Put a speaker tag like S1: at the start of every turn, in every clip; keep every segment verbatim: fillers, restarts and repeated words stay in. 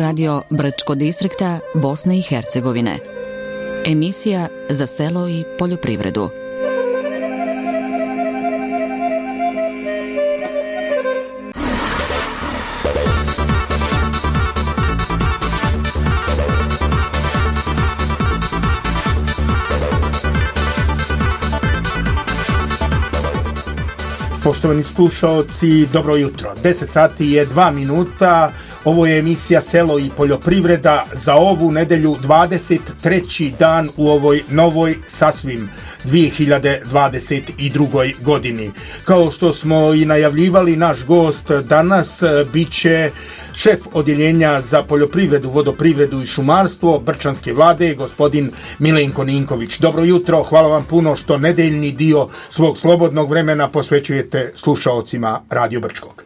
S1: Radio Brčko distrikta Bosne i Hercegovine. Emisija za selo i poljoprivredu.
S2: Poštovani slušaoci, dobro jutro. deset sati je dva minuta. Ovo je emisija Selo i poljoprivreda za ovu nedelju, dvadeset treći dan u ovoj novoj sasvim dvije hiljade dvadeset druge. godini. Kao što smo i najavljivali, naš gost danas bit će šef odjeljenja za poljoprivredu, vodoprivredu i šumarstvo Brčanske vlade, gospodin Milenko Ninković. Dobro jutro, hvala vam puno što nedeljni dio svog slobodnog vremena posvećujete slušaocima Radio Brčkog.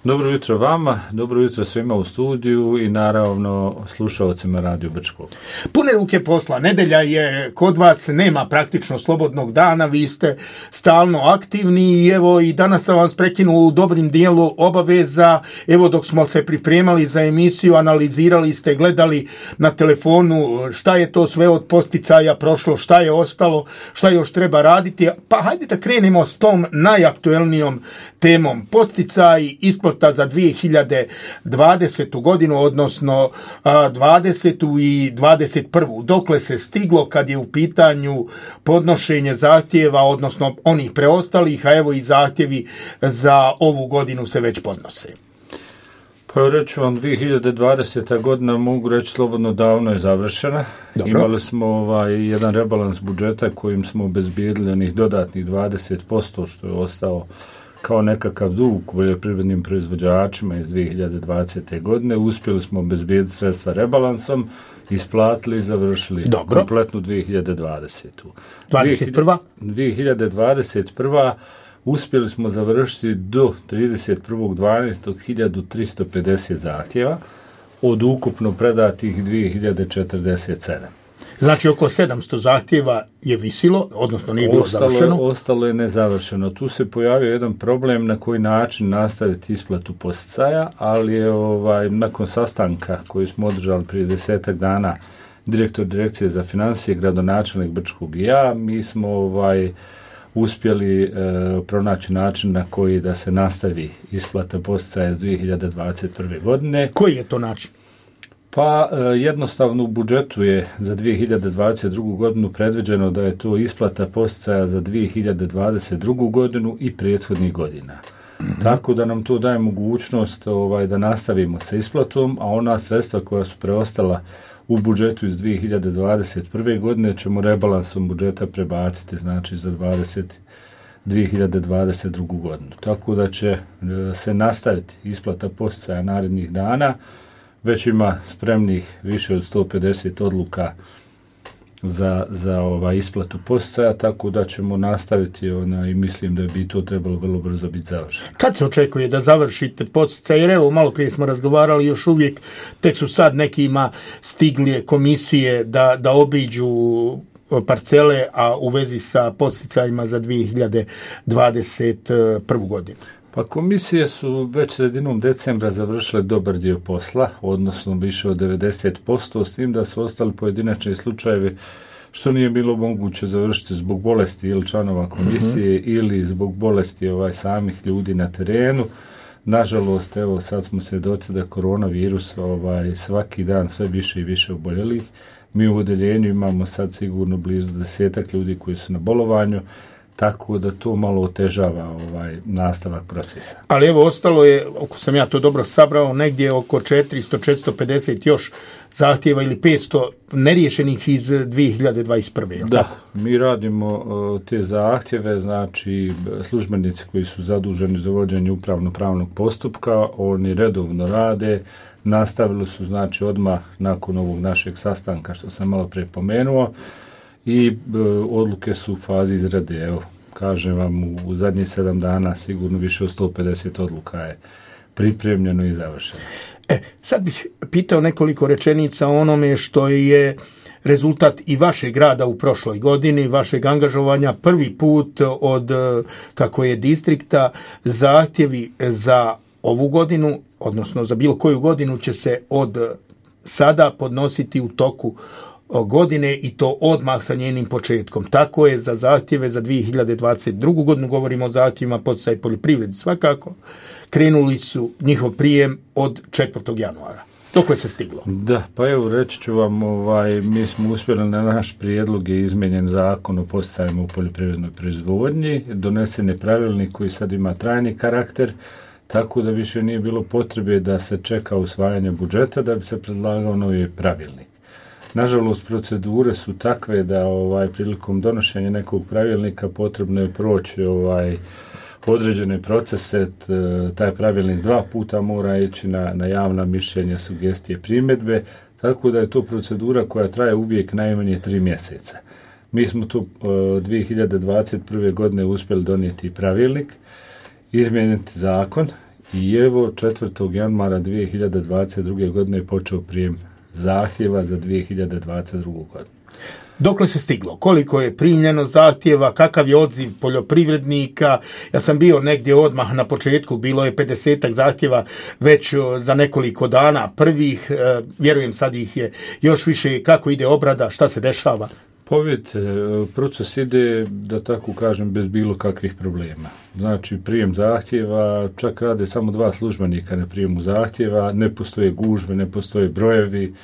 S3: Dobro jutro vama, dobro jutro svima u studiju i naravno slušaocima Radio Brčkog.
S2: Pune ruke posla, nedelja je kod vas, nema praktično slobodnog dana, vi ste stalno aktivni i evo i danas sam vas prekinuo u dobrim dijelu obaveza. Evo dok smo se pripremali za emisiju, analizirali ste, gledali na telefonu šta je to sve od posticaja prošlo, šta je ostalo, šta još treba raditi. Pa hajde da krenemo s tom najaktuelnijom temom. Posticaji, isplata za dvije hiljade dvadesetu. godinu, odnosno dvadesetu i dvadeset prvu. Dokle se stiglo kad je u pitanju podnošenje zahtjeva, odnosno onih preostalih, a evo i zahtjevi za ovu godinu se već podnose.
S3: Pa reći vam, dvije hiljade dvadeseta. godina, mogu reći slobodno, davno je završena. Dobro. Imali smo ovaj jedan rebalans budžeta kojim smo obezbijedili onih dodatnih dvadeset posto što je ostao kao nekakav dug poljoprivrednim proizvođačima iz dvije hiljade dvadesete. godine. Uspjeli smo obezbijediti sredstva rebalansom, isplatili i završili Dobro. kompletnu dvije hiljade dvadesetu.
S2: dvadeset prva.
S3: dvije hiljade dvadeset prva. uspjeli smo završiti do trideset prvog dvanaestog hiljadu tristo pedeset zahtjeva od ukupno predatih dvije hiljade četrdeset sedam.
S2: Znači oko sedamsto zahtjeva je visilo, odnosno nije bilo
S3: ostalo,
S2: završeno.
S3: Ostalo je nezavršeno. Tu se pojavio jedan problem na koji način nastaviti isplatu posticaja, ali je ovaj, nakon sastanka koji smo održali prije desetak dana, direktor direkcije za financije, gradonačelnik Brčkog i ja, mi smo ovaj, uspjeli e, pronaći način na koji da se nastavi isplata posticaja iz dvije hiljade dvadeset prve. godine.
S2: Koji je to način?
S3: Pa jednostavno u budžetu je za dvije hiljade dvadeset drugu. godinu predviđeno da je to isplata posticaja za dvije hiljade dvadeset drugu. godinu i prethodnih godina. Mm-hmm. Tako da nam to daje mogućnost ovaj, da nastavimo sa isplatom, a ona sredstva koja su preostala u budžetu iz dvije hiljade dvadeset prve. godine ćemo rebalansom budžeta prebaciti, znači za dvije hiljade dvadeset drugu. godinu. Tako da će se nastaviti isplata posticaja narednih dana. Već ima spremnih više od sto pedeset odluka za, za ovaj isplatu posticaja, tako da ćemo nastaviti ona, i mislim da bi to trebalo vrlo brzo biti završeno.
S2: Kad se očekuje da završite posticaje? Jer evo, malo prije smo razgovarali, još uvijek tek su sad nekima stigli komisije da, da obiđu parcele, a u vezi sa posticajima za dvije hiljade dvadeset prvu. godinu.
S3: Pa komisije su već sredinom decembra završile dobar dio posla, odnosno više od devedeset posto, s tim da su ostali pojedinačni slučajevi što nije bilo moguće završiti zbog bolesti ili članova komisije mm-hmm. ili zbog bolesti ovaj samih ljudi na terenu. Nažalost, evo sad smo svjedoci da koronavirus ovaj, svaki dan sve više i više oboljelih. Mi u odjeljenju imamo sad sigurno blizu desetak ljudi koji su na bolovanju, tako da to malo otežava ovaj nastavak procesa.
S2: Ali evo, ostalo je, ako sam ja to dobro sabrao, negdje oko četiristo do četiristo pedeset još zahtjeva ili petsto neriješenih iz dvije hiljade dvadeset prve.
S3: Da,
S2: tako?
S3: Mi radimo uh, te zahtjeve, znači službenici koji su zaduženi za vođenje upravno-pravnog postupka, oni redovno rade, nastavili su znači odmah nakon ovog našeg sastanka što sam malo prije pomenuo, i e, odluke su u fazi izrade. Evo, kažem vam, u, u zadnjih sedam dana sigurno više od sto pedeset odluka je pripremljeno i završeno.
S2: E, sad bih pitao nekoliko rečenica o onome što je rezultat i vašeg rada u prošloj godini, vašeg angažovanja. Prvi put od, kako je distrikta, zahtjevi za ovu godinu, odnosno za bilo koju godinu će se od sada podnositi u toku godine i to odmah sa njenim početkom. Tako je za zahtjeve za dvije hiljade dvadeset drugu godinu, govorimo o zahtjevima poticaj poljoprivredi svakako, krenuli su njihov prijem od četvrtog januara. Dokle se stiglo?
S3: Da, pa evo reći ću vam, ovaj, mi smo uspjeli na naš prijedlog je izmijenjen zakon o poticajima u poljoprivrednoj proizvodnji, donesen je pravilnik koji sad ima trajni karakter, tako da više nije bilo potrebe da se čeka usvajanje budžeta da bi se predlagao novi pravilnik. Nažalost, procedure su takve da ovaj prilikom donošenja nekog pravilnika potrebno je proći ovaj određene procese, taj pravilnik dva puta mora ići na, na javna mišljenja, sugestije, primjedbe, tako da je to procedura koja traje uvijek najmanje tri mjeseca. Mi smo tu dvije hiljade dvadeset prve godine uspjeli donijeti pravilnik, izmijeniti zakon i evo četvrtog januara dvije hiljade dvadeset druge godine je počeo prijem zahtjeva za dvije hiljade dvadeset drugu godinu.
S2: Dokle se stiglo? Koliko je primljeno zahtjeva? Kakav je odziv poljoprivrednika? Ja sam bio negdje odmah na početku, bilo je pedesetak zahtjeva već za nekoliko dana prvih, vjerujem sad ih je još više. Kako ide obrada? Šta se dešava?
S3: Povijete, proces ide, da tako kažem, bez bilo kakvih problema. Znači, prijem zahtjeva, čak rade samo dva službenika na prijemu zahtjeva, ne postoje gužve, ne postoje brojevi.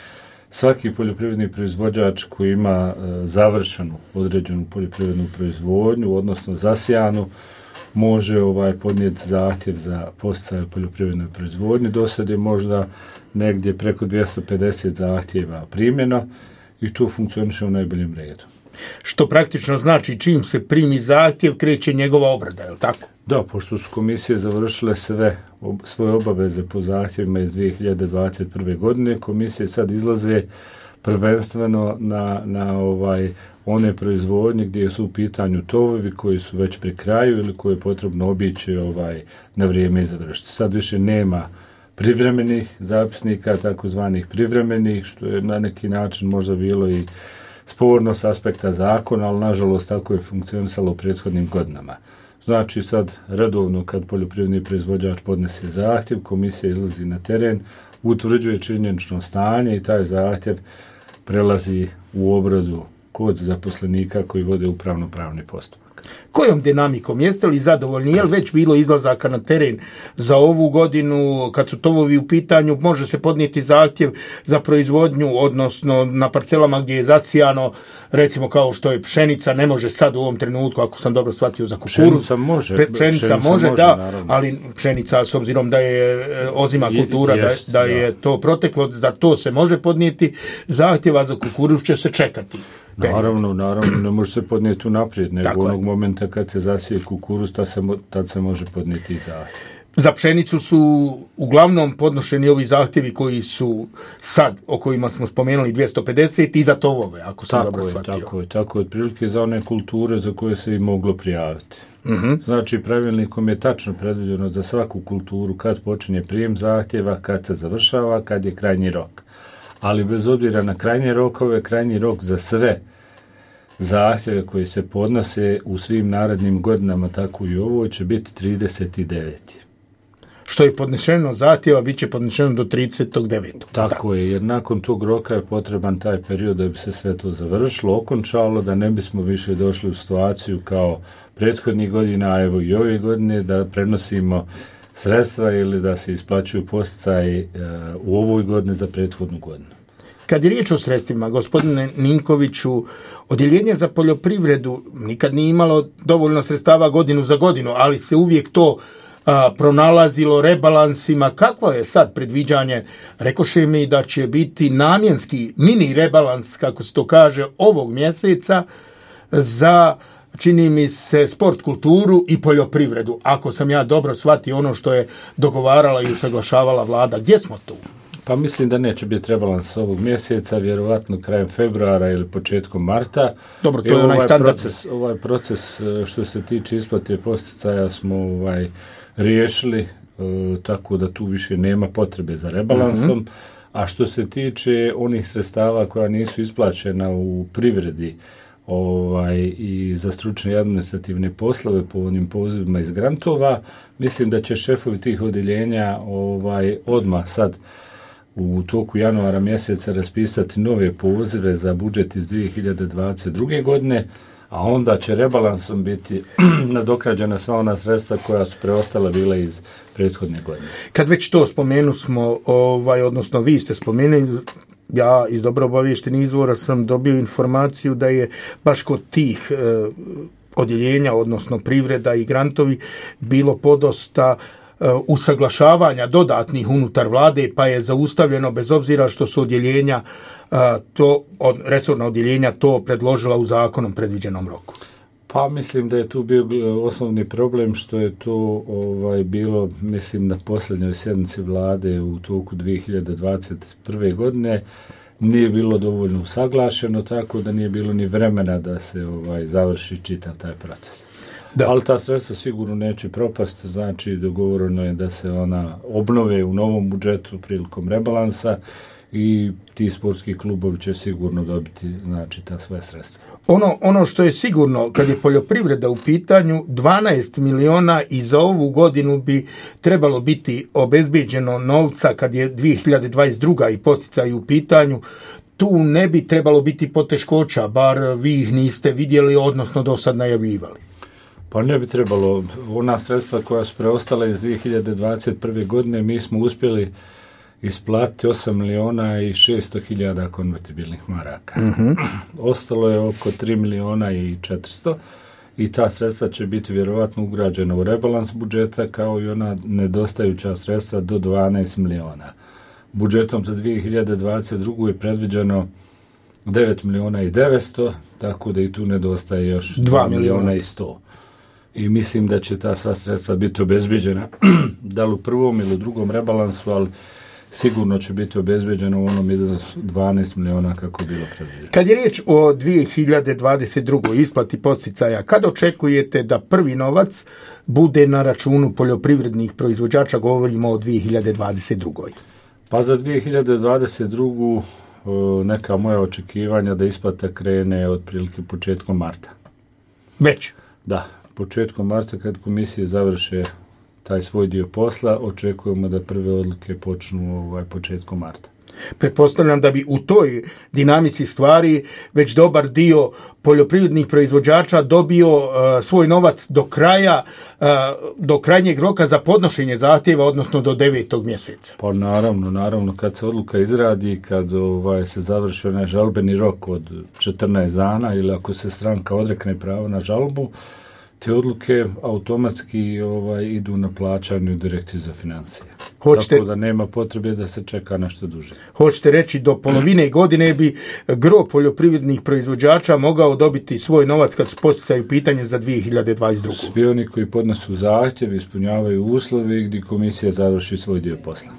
S3: Svaki poljoprivredni proizvođač koji ima e, završenu određenu poljoprivrednu proizvodnju, odnosno zasijanu, može ovaj podnijeti zahtjev za poticaj poljoprivrednoj proizvodnji. Do sad je možda negdje preko dvjesto pedeset zahtjeva primjeno i to funkcioniše u najboljem redu.
S2: Što praktično znači čim se primi zahtjev, kreće njegova obrada, je li tako?
S3: Da, pošto su komisije završile sve ob, svoje obaveze po zahtjevima iz dvije hiljade dvadeset prve godine, komisije sad izlaze prvenstveno na, na ovaj one proizvodnje gdje su u pitanju tovovi koji su već pri kraju ili koje je potrebno obići ovaj, na vrijeme i završiti. Sad više nema privremenih zapisnika, takozvanih privremenih, što je na neki način možda bilo i sporno s aspekta zakona, ali nažalost tako je funkcionisalo u prethodnim godinama. Znači sad redovno kad poljoprivredni proizvođač podnese zahtjev, komisija izlazi na teren, utvrđuje činjenično stanje i taj zahtjev prelazi u obradu kod zaposlenika koji vode upravno-pravni postupak.
S2: Kojom dinamikom? Jeste li zadovoljni? Je li već bilo izlazaka na teren za ovu godinu? Kad su tovovi u pitanju, može se podnijeti zahtjev za proizvodnju, odnosno na parcelama gdje je zasijano, recimo kao što je pšenica, ne može sad u ovom trenutku, ako sam dobro shvatio, za kukuruz.
S3: Pšenica može.
S2: Pšenica, pšenica može, može, da, naravno. Ali pšenica, s obzirom da je ozima kultura, je, jest, da, da je to proteklo, za to se može podnijeti zahtjeva, za kukuruz će se čekati.
S3: Naravno, naravno, ne može se podnijeti unaprijed, nego
S2: tako
S3: onog
S2: je.
S3: Momenta kad se zasije kukuruz, tad se, tad se može podnijeti i zahtjev.
S2: Za pšenicu su uglavnom podnošeni ovi zahtjevi koji su sad, o kojima smo spomenuli dvjesto pedeset, i za tovove, ako sam
S3: tako
S2: dobro
S3: je,
S2: shvatio.
S3: Tako je, tako je, otprilike za one kulture za koje se i moglo prijaviti.
S2: Uh-huh.
S3: Znači, pravilnikom je tačno predviđeno za svaku kulturu kad počinje prijem zahtjeva, kad se završava, kad je krajnji rok. Ali bez obzira na krajnje rokove, krajnji rok za sve zahtjeve koji se podnose u svim narednim godinama, tako i ovo, će biti trideset deveti
S2: Što je podnešeno zahtjeva, bit će podnešeno do trideset devetog
S3: Tako, tako je, jer nakon tog roka je potreban taj period da bi se sve to završilo, okončalo, da ne bismo više došli u situaciju kao prethodnih godina, a evo i ove godine, da prenosimo sredstva ili da se isplaćuju posticaji uh, u ovoj godini za prethodnu godinu.
S2: Kad je riječ o sredstvima, gospodine Ninkoviću, odjeljenje za poljoprivredu nikad nije imalo dovoljno sredstava godinu za godinu, ali se uvijek to a, pronalazilo rebalansima. Kakvo je sad predviđanje? Rekoše mi da će biti namjenski mini rebalans, kako se to kaže, ovog mjeseca za, čini mi se, sport, kulturu i poljoprivredu. Ako sam ja dobro shvatio ono što je dogovarala i usaglašavala vlada, gdje smo tu?
S3: Pa mislim da neće biti rebalans ovog mjeseca, vjerovatno krajem februara ili početkom marta.
S2: Dobro, to je onaj
S3: ovaj
S2: standard.
S3: Proces, ovaj proces što se tiče isplate posticaja smo ovaj, riješili, e, tako da tu više nema potrebe za rebalansom. Mm-hmm. A što se tiče onih sredstava koja nisu isplaćena u privredi, ovaj, i za stručne i administrativne poslove po onim pozivima iz grantova. Mislim da će šefovi tih odjeljenja ovaj, odmah sad u toku januara mjeseca raspisati nove pozive za budžet iz dvije hiljade dvadeset druge. godine, a onda će rebalansom biti nadoknađena sva ona sredstva koja su preostala bila iz prethodne godine.
S2: Kad već to spomenu smo, ovaj, odnosno vi ste spomenuli, ja iz dobro obaviještenih izvora sam dobio informaciju da je baš kod tih eh, odjeljenja, odnosno privreda i grantovi, bilo podosta usaglašavanja dodatnih unutar vlade, pa je zaustavljeno bez obzira što su odjeljenja to, od, resorna odjeljenja to predložila u zakonom predviđenom roku.
S3: Pa mislim da je tu bio osnovni problem što je to ovaj, bilo, mislim, na posljednjoj sjednici vlade u toku dvije hiljade dvadeset prve. godine. Nije bilo dovoljno usaglašeno, tako da nije bilo ni vremena da se ovaj, završi čitav taj proces. Da. Ali ta sredstva sigurno neće propasti, znači dogovoreno je da se ona obnove u novom budžetu prilikom rebalansa i ti sportski klubovi će sigurno dobiti, znači, ta sve sredstva.
S2: Ono, ono što je sigurno, kad je poljoprivreda u pitanju, dvanaest miliona i za ovu godinu bi trebalo biti obezbeđeno novca kad je dvije hiljade dvadeset druga. i podsticaj u pitanju. Tu ne bi trebalo biti poteškoća, bar vi ih niste vidjeli, odnosno do sad najavljivali.
S3: Pa ne bi trebalo. Ona sredstva koja su preostala iz dvije hiljade dvadeset prve. godine mi smo uspjeli isplatiti osam miliona i šesto hiljada konvertibilnih maraka. Mm-hmm. Ostalo je oko tri miliona i četiristo i ta sredstva će biti vjerovatno ugrađena u rebalans budžeta kao i ona nedostajuća sredstva do dvanaest miliona. Budžetom za dvije hiljade dvadeset drugu. je predviđeno devet miliona i devetsto, tako da i tu nedostaje još dva miliona i sto. I mislim da će ta sva sredstva biti obezbeđena da li u prvom ili u drugom rebalansu, ali sigurno će biti obezbeđeno u onom iznosu dvanaest miliona kako je bilo predviđeno.
S2: Kad je riječ o dvije hiljade dvadeset drugoj. isplati podsticaja, kad očekujete da prvi novac bude na računu poljoprivrednih proizvođača, govorimo o dvije hiljade dvadeset drugoj.
S3: Pa za dvije hiljade dvadeset drugu. neka moja očekivanja da isplata krene otprilike početkom marta.
S2: Već?
S3: Da. Početkom marta, kad komisije završe taj svoj dio posla, očekujemo da prve odluke počnu ovaj, početkom marta.
S2: Pretpostavljam da bi u toj dinamici stvari već dobar dio poljoprivrednih proizvođača dobio uh, svoj novac do kraja, uh, do krajnjeg roka za podnošenje zahtjeva, odnosno do devetog mjeseca.
S3: Pa naravno, naravno, kad se odluka izradi, kad ovaj, se završi onaj žalbeni rok od četrnaest dana ili ako se stranka odrekne pravo na žalbu, te odluke automatski ovaj, idu na plaćanju direkciji za financije. Hoćete, tako da nema potrebe da se čeka nešto duže.
S2: Hoćete reći, do polovine godine bi gro poljoprivrednih proizvođača mogao dobiti svoj novac kad se posticaju pitanje za dvije hiljade dvadeset drugu.
S3: Svi oni koji podnesu zahtjev, ispunjavaju uslove gdje komisija završi svoj dio posla.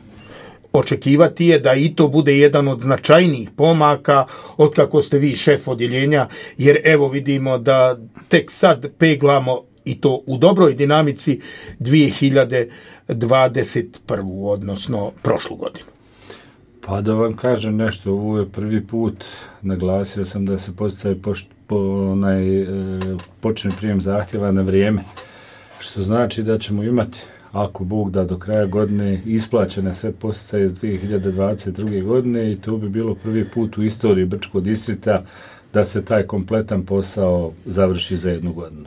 S2: Očekivati je da i to bude jedan od značajnijih pomaka od kako ste vi šef odjeljenja, jer evo vidimo da tek sad peglamo i to u dobroj dinamici dvije hiljade dvadeset prvu. odnosno prošlu godinu.
S3: Pa da vam kažem nešto, ovo je prvi put, naglasio sam da se podsticaj po, onaj, e, počne prijem zahtjeva na vrijeme, što znači da ćemo imati, ako Bog da, do kraja godine isplaćene sve podsticaje iz dvije hiljade dvadeset druge. godine i to bi bilo prvi put u istoriji Brčkog distrikta da se taj kompletan posao završi za jednu godinu.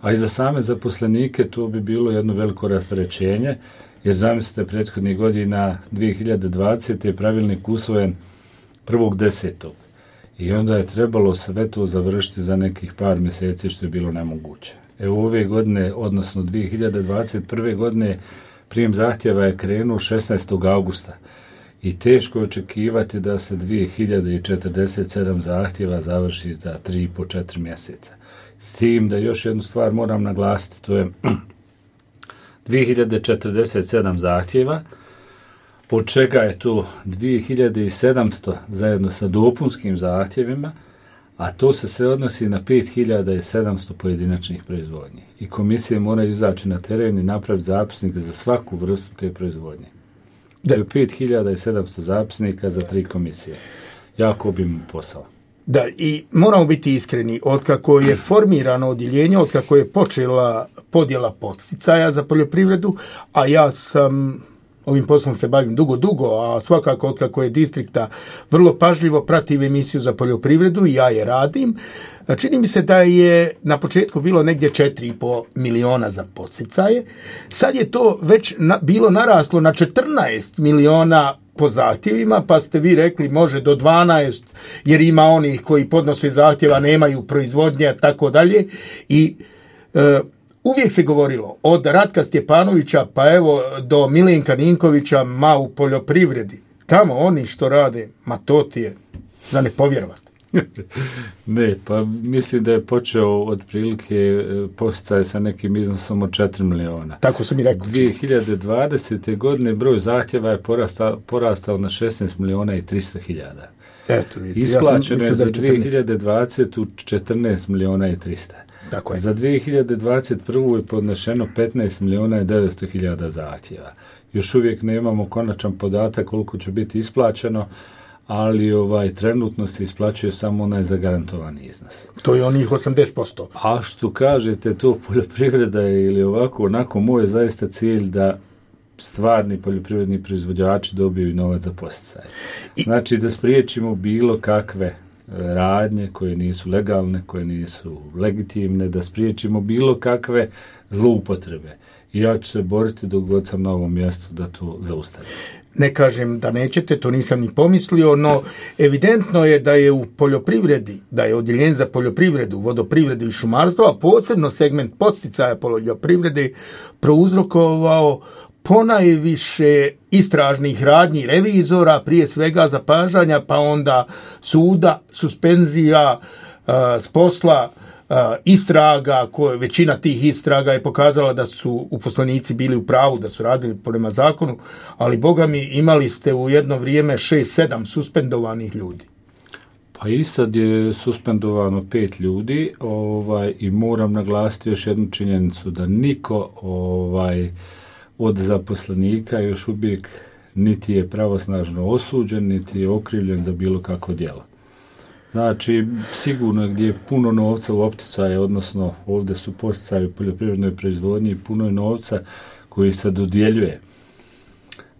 S3: A i za same zaposlenike to bi bilo jedno veliko rasterećenje, jer zamislite, prethodnih godina dvije hiljade dvadesete. je pravilnik usvojen prvog desetog i onda je trebalo sve to završiti za nekih par mjeseci, što je bilo nemoguće. Evo ove godine, odnosno dvije hiljade dvadeset prve. godine, prijem zahtjeva je krenuo šesnaestog augusta i teško je očekivati da se dvije hiljade četrdeset sedam zahtjeva završi za tri i po četiri mjeseca. S tim da još jednu stvar moram naglasiti, to je dvije hiljade četrdeset sedam zahtjeva, od čega je to dvije hiljade sedamsto zajedno sa dopunskim zahtjevima, a to se sve odnosi na pet hiljada sedamsto pojedinačnih proizvodnji. I komisije moraju izaći na teren i napraviti zapisnik za svaku vrstu te proizvodnje. To je pet hiljada sedamsto zapisnika za tri komisije. Jako obiman posao.
S2: Da, i moramo biti iskreni, otkako je formirano odjeljenje, otkako je počela podjela podsticaja za poljoprivredu, a ja sam ovim poslom se bavim dugo, dugo, a svakako otkako je distrikta vrlo pažljivo pratim emisiju za poljoprivredu i ja je radim. Čini mi se da je na početku bilo negdje četiri i pol miliona za podsticaje. Sad je to već na, bilo naraslo na četrnaest miliona po zahtjevima, pa ste vi rekli može do dvanaest, jer ima onih koji podnose zahtjeva, nemaju proizvodnje, tako dalje. I e, uvijek se govorilo od Ratka Stjepanovića pa evo do Milenka Ninkovića, ma u poljoprivredi. Tamo oni što rade, ma to ti je za ne povjerovati.
S3: Ne, pa mislim da je počeo otprilike posticaj sa nekim iznosom od četiri miliona.
S2: Tako sam i rekao.
S3: dvije hiljade dvadesete. godine broj zahtjeva je porastao, porastao na šesnaest miliona i tristo hiljada.
S2: Eto, vidite.
S3: Isplaćeno
S2: ja
S3: je za dvije hiljade dvadesetu. četrnaest miliona i tristo.
S2: Tako je.
S3: Za dvije hiljade dvadeset prvu. je podnešeno petnaest miliona i devetsto hiljada zahtjeva. Još uvijek nemamo konačan podatak koliko će biti isplaćeno, ali ovaj trenutno se isplaćuje samo onaj zagarantovani iznos.
S2: To je onih osamdeset posto.
S3: A što kažete, to poljoprivreda je ili ovako, onako, moj je zaista cilj da stvarni poljoprivredni proizvođači dobiju novac za podsticaj. Znači da spriječimo bilo kakve radnje koje nisu legalne, koje nisu legitimne, da spriječimo bilo kakve zloupotrebe. I ja ću se boriti dok god sam na ovom mjestu da to zaustavim.
S2: Ne kažem da nećete, to nisam ni pomislio, no evidentno je da je u poljoprivredi, da je odjeljenje za poljoprivredu, vodoprivredu i šumarstvo, a posebno segment podsticaja poljoprivrede prouzrokovao ponajviše istražnih radnji revizora, prije svega zapažanja, pa onda suda, suspenzija uh, s posla, Uh, istraga, koje većina tih istraga je pokazala da su uposlenici bili u pravu, da su radili prema zakonu, ali boga mi imali ste u jedno vrijeme šest sedam suspendovanih ljudi.
S3: Pa i sad je suspendovano pet ljudi, ovaj, i moram naglasiti još jednu činjenicu, da niko ovaj, od zaposlenika još uvijek niti je pravosnažno osuđen, niti je okrivljen za bilo kakvo djelo. Znači, sigurno gdje je puno novca u opticaju, odnosno ovdje su podsticaji u poljoprivrednoj proizvodnji, puno je novca koji se dodjeljuje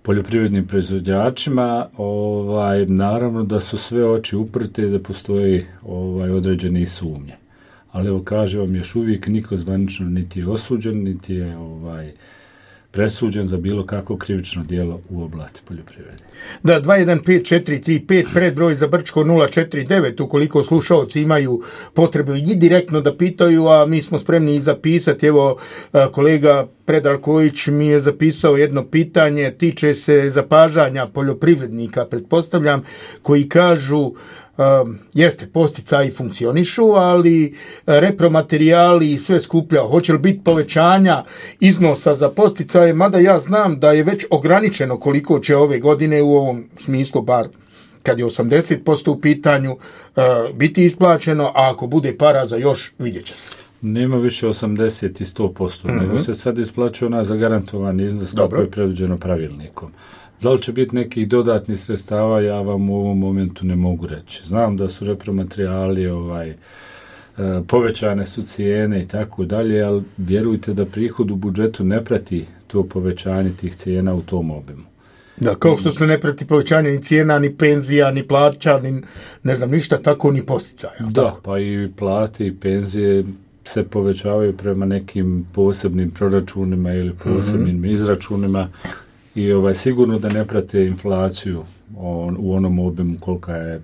S3: poljoprivrednim proizvođačima, ovaj, naravno da su sve oči uprte i da postoji ovaj, određeni sumnje. Ali evo kažem vam, još uvijek niko zvanično niti je osuđen, niti je ovaj, presuđen za bilo kakvo krivično djelo u oblasti poljoprivrede.
S2: Da, dva jedan pet četiri tri pet, predbroj za Brčko nula četiri devet, ukoliko slušalci imaju potrebu i direktno da pitaju, a mi smo spremni i zapisati. Evo, kolega Predrag Kojić mi je zapisao jedno pitanje, tiče se zapažanja poljoprivrednika, pretpostavljam, koji kažu Uh, jeste, podsticaji funkcionišu, ali repromaterijali i sve skuplja. Hoće li biti povećanja iznosa za podsticaje, mada ja znam da je već ograničeno koliko će ove godine u ovom smislu, bar kad je osamdeset posto u pitanju, uh, biti isplaćeno, a ako bude para za još, vidjet će se.
S3: Nema više osamdeset i sto posto, mm-hmm. nego se sad isplaćuje ona zagarantovani iznos kako je predviđeno pravilnikom. Da li će biti nekih dodatnih sredstava, ja vam u ovom momentu ne mogu reći. Znam da su repromaterijali, ovaj, povećane su cijene i tako dalje, ali vjerujte da prihod u budžetu ne prati to povećanje tih cijena u tom obimu.
S2: Da, kao što se ne prati povećanje ni cijena, ni penzija, ni plaća, ni ne znam ništa, tako ni podsticaja.
S3: Da,
S2: tako.
S3: Pa i plate i penzije se povećavaju prema nekim posebnim proračunima ili posebnim mm-hmm. izračunima. I ovaj, sigurno da ne prate inflaciju on, u onom obimu kolika je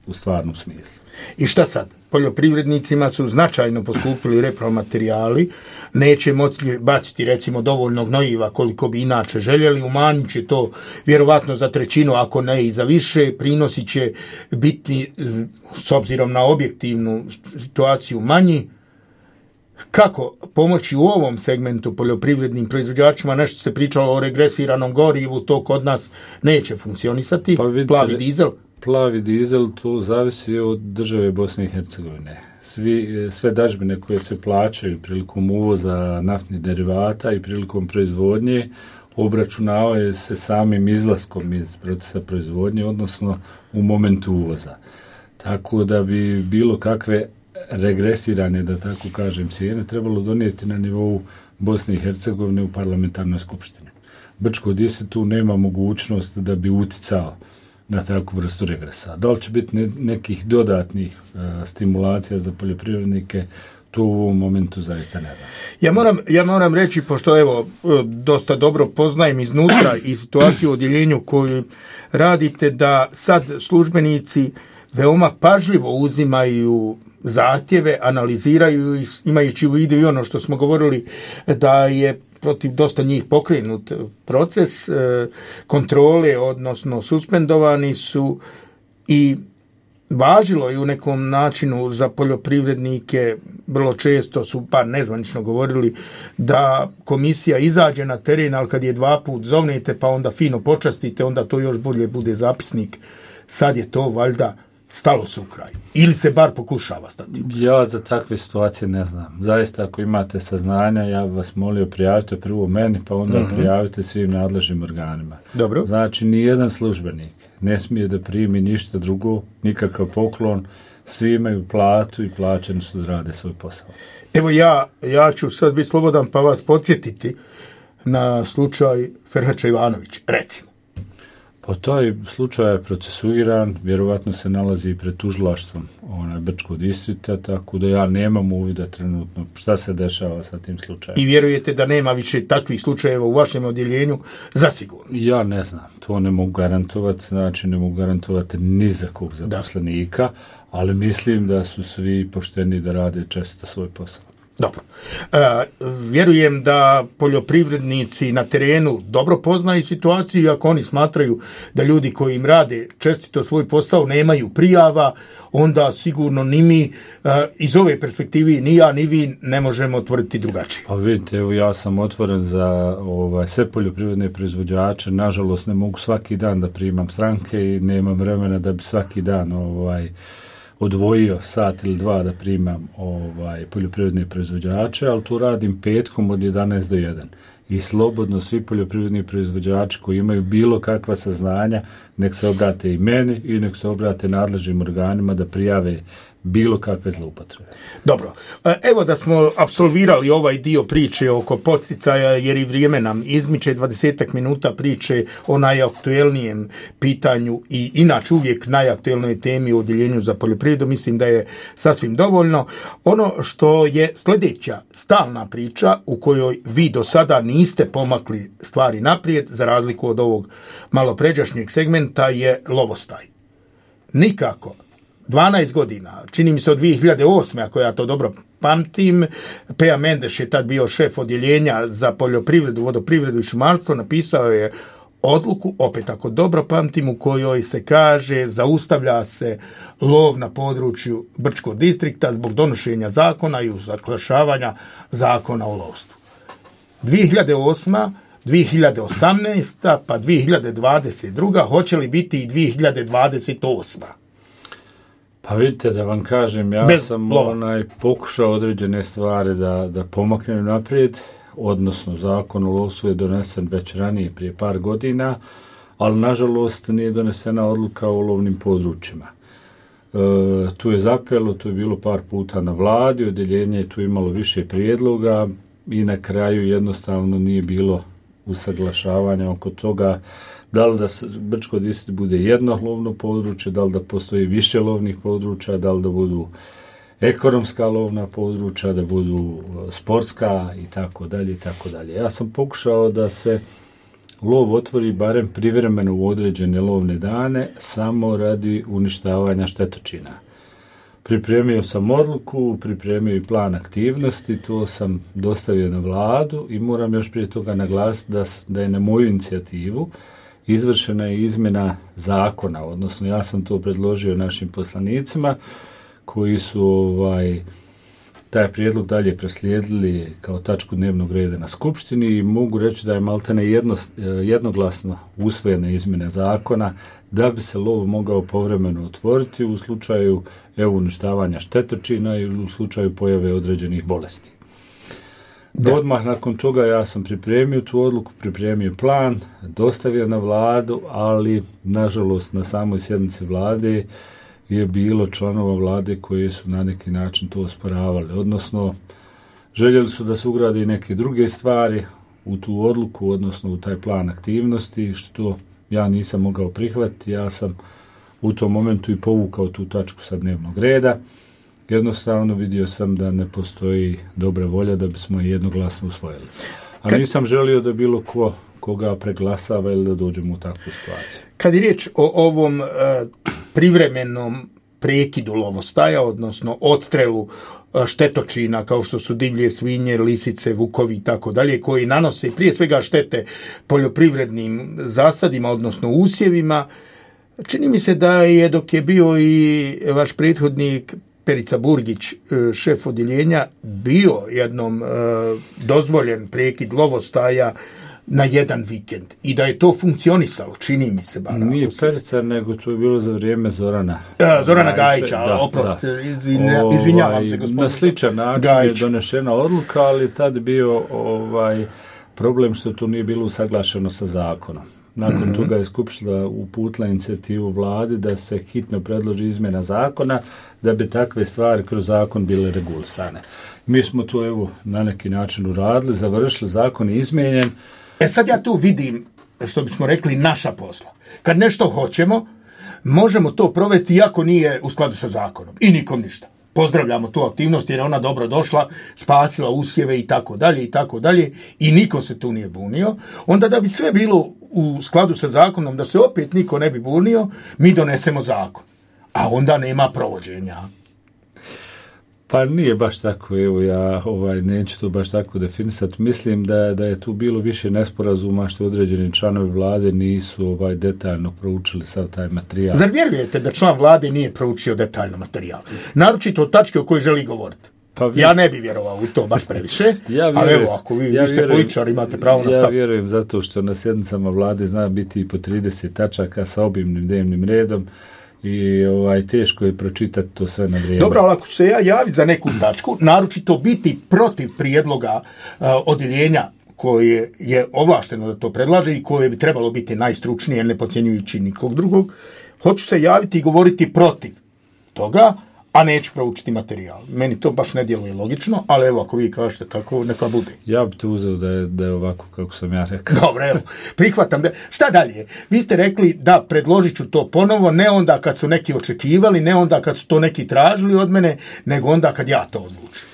S3: u stvarnom smislu.
S2: I šta sad? Poljoprivrednicima su značajno poskupili repromaterijali, neće moći baciti recimo dovoljno gnojiva koliko bi inače željeli, umanjit će to vjerovatno za trećinu, ako ne i za više, prinosi će biti s obzirom na objektivnu situaciju manji. Kako pomoći u ovom segmentu poljoprivrednim proizvođačima? Nešto se pričalo o regresiranom gorivu, to kod nas neće funkcionisati. Pa vidite, plavi dizel?
S3: Plavi dizel, to zavisi od države Bosne i Hercegovine. Svi, sve dažbine koje se plaćaju prilikom uvoza naftnih derivata i prilikom proizvodnje obračunavaju se samim izlaskom iz procesa proizvodnje, odnosno u momentu uvoza. Tako da bi bilo kakve regresirane, da tako kažem, cijene trebalo donijeti na nivou Bosne i Hercegovine u parlamentarnoj skupštini. Brčko Distrikt tu nema mogućnost da bi uticao na takvu vrstu regresa. Da li će biti ne, nekih dodatnih uh, stimulacija za poljoprivrednike, to u ovom momentu zaista ne znam.
S2: Ja moram, ja moram reći, pošto evo dosta dobro poznajem iznutra i situaciju u odjeljenju koju radite, da sad službenici veoma pažljivo uzimaju zahtjeve, analiziraju ih, imajući u vidu i ono što smo govorili da je protiv dosta njih pokrenut proces kontrole, odnosno suspendovani su i važilo je u nekom načinu za poljoprivrednike, vrlo često su pa nezvanično govorili da komisija izađe na teren, ali kad je dva put zovnete pa onda fino počastite, onda to još bolje bude zapisnik. Sad je to valjda stalo se u kraj. Ili se bar pokušava stati.
S3: Ja za takve situacije ne znam. Zaista ako imate saznanja, ja bih vas molio prijavite prvo meni, pa onda mm-hmm. prijavite svim nadležnim organima.
S2: Dobro.
S3: Znači, nijedan službenik ne smije da primi ništa drugo, nikakav poklon, svi imaju platu i plaćeni su da rade svoj posao.
S2: Evo ja, ja ću sad biti slobodan pa vas podsjetiti na slučaj Ferhača Ivanović, recimo.
S3: Pa taj slučaj je procesuiran, vjerovatno se nalazi pred tužilaštvom onaj Brčkog distrikta, tako da ja nemam uvida trenutno šta se dešava sa tim slučajem.
S2: I vjerujete da nema više takvih slučajeva u vašem odjeljenju? Zasigurno.
S3: Ja ne znam, to ne mogu garantovati, znači ne mogu garantovati ni za kog zaposlenika, da. Ali mislim da su svi pošteni da rade često svoj posao.
S2: Dobro. E, vjerujem da poljoprivrednici na terenu dobro poznaju situaciju i ako oni smatraju da ljudi koji im rade čestito svoj posao nemaju prijava, onda sigurno ni mi e, iz ove perspektive ni ja ni vi ne možemo tvrditi drugačije.
S3: Pa vidite, evo ja sam otvoren za ovaj, sve poljoprivredne proizvođače, nažalost ne mogu svaki dan da primam stranke i nemam vremena da bi svaki dan ovaj odvojio sat ili dva da primam ovaj poljoprivredne proizvođače, ali tu radim petkom od jedanaest do jedan. I slobodno svi poljoprivredni proizvođači koji imaju bilo kakva saznanja, nek se obrate i meni i nek se obrate nadležnim organima da prijave bilo kakve zloupotrebe.
S2: Dobro, evo da smo apsolvirali ovaj dio priče oko podsticaja, jer i vrijeme nam izmiče, dvadesetak minuta priče o najaktuelnijem pitanju i inače uvijek najaktuelnoj temi u odjeljenju za poljoprivredu, mislim da je sasvim dovoljno. Ono što je sljedeća stalna priča u kojoj vi do sada niste pomakli stvari naprijed, za razliku od ovog malopređašnjeg segmenta, je lovostaj. Nikako. dvanaest godina, čini mi se od dvije hiljade osme, ako ja to dobro pamtim, Peja Mendeš je tad bio šef odjeljenja za poljoprivredu, vodoprivredu i šumarstvo, napisao je odluku, opet ako dobro pamtim, u kojoj se kaže zaustavlja se lov na području Brčkog distrikta zbog donošenja zakona i usaglašavanja zakona o lovstvu. dvije hiljade osma, dvije hiljade osamnaesta, pa dvije hiljade dvadeset druga, hoće li biti i dvije hiljade dvadeset osma?
S3: Pa vidite, da vam kažem, ja Bez sam lova. onaj pokušao određene stvari da, da pomaknem naprijed, odnosno zakon o lovstvu je donesen već ranije, prije par godina, ali nažalost nije donesena odluka o lovnim područjima. E, tu je zapelo, tu je bilo par puta na vladi, odjeljenje je tu imalo više prijedloga i na kraju jednostavno nije bilo usaglašavanja oko toga da li da Brčko distrikt bude jedno lovno područje, da li da postoji više lovnih područja, da li da budu ekonomska lovna područja, da budu sportska i tako dalje i tako dalje. Ja sam pokušao da se lov otvori barem privremeno u određene lovne dane samo radi uništavanja štetočina. Pripremio sam odluku, pripremio i plan aktivnosti, to sam dostavio na vladu i moram još prije toga naglasiti da, da je na moju inicijativu izvršena je izmjena zakona, odnosno ja sam to predložio našim poslanicima koji su ovaj, taj prijedlog dalje proslijedili kao tačku dnevnog reda na skupštini i mogu reći da je maltene jedno, jednoglasno usvojena izmjena zakona da bi se lov mogao povremeno otvoriti u slučaju evo, uništavanja štetočina ili u slučaju pojave određenih bolesti. Da. Odmah nakon toga ja sam pripremio tu odluku, pripremio plan, dostavio na vladu, ali nažalost na samoj sjednici vlade je bilo članova vlade koji su na neki način to osporavali, odnosno željeli su da se ugrade i neke druge stvari u tu odluku, odnosno u taj plan aktivnosti, što ja nisam mogao prihvatiti. Ja sam u tom momentu i povukao tu tačku sa dnevnog reda. Jednostavno vidio sam da ne postoji dobra volja da bismo je jednoglasno usvojili. A Kad... nisam želio da bilo ko koga preglasava ili da dođemo u takvu situaciju.
S2: Kad je riječ o ovom e, privremenom prekidu lovostaja, odnosno odstrelu štetočina kao što su divlje svinje, lisice, vukovi i tako dalje, koji nanose prije svega štete poljoprivrednim zasadima, odnosno usjevima, čini mi se da je dok je bio i vaš prethodnik Perica Burgić, šef odjeljenja, bio jednom e, dozvoljen prekid lovostaja na jedan vikend i da je to funkcionisalo, čini mi se. Bar,
S3: Nije Perica, nego to je bilo za vrijeme Zorana.
S2: E, Zorana Gajića, da, oprost, da. Izvinja, izvinjavam se gospodine.
S3: Na sličan način Gajić. Je donešena odluka, ali tad bio ovaj problem što to nije bilo usaglašeno sa zakonom. Nakon mm-hmm. toga je Skupština uputila inicijativu vladi da se hitno predloži izmjena zakona da bi takve stvari kroz zakon bile regulisane. Mi smo to evo na neki način uradili, završili, zakon je izmijenjen.
S2: E sad ja tu vidim, što bismo rekli, naša posla. Kad nešto hoćemo, možemo to provesti iako nije u skladu sa zakonom. I nikom ništa. Pozdravljamo tu aktivnost jer je ona dobro došla, spasila usjeve i tako dalje i tako dalje i niko se tu nije bunio. Onda da bi sve bilo u skladu sa zakonom, da se opet niko ne bi bunio, mi donesemo zakon. A onda nema provođenja.
S3: Pa nije baš tako, evo ja ovaj, neću to baš tako definisati. Mislim da, da je tu bilo više nesporazuma što određeni članovi vlade nisu ovaj, detaljno proučili sav taj materijal.
S2: Zar vjerujete da član vlade nije proučio detaljno materijal? Naročito od tačke o kojoj želi govoriti. Pa vi... Ja ne bi vjerovao u to baš previše, ja ali evo, ako vi, ja vi ste političar, imate pravo na stav.
S3: Ja vjerujem zato što na sjednicama vlade zna biti i po trideset tačaka sa obimnim dnevnim redom, i ovaj, teško je pročitati to sve na vrijeme.
S2: Dobro, ali ako ću se ja javiti za neku tačku, naročito biti protiv prijedloga uh, odjeljenja koje je ovlašteno da to predlaže i koje bi trebalo biti najstručnije, ne podcjenjujući nikog drugog, hoću se javiti i govoriti protiv toga, a neću proučiti materijal. Meni to baš ne djeluje logično, ali evo, ako vi kažete tako, neka bude.
S3: Ja bih te uzeo da je, da je ovako kako sam ja rekao.
S2: Dobro, evo, prihvatam. Da... Šta dalje? Vi ste rekli da predložit ću to ponovo, ne onda kad su neki očekivali, ne onda kad su to neki tražili od mene, nego onda kad ja to odlučim.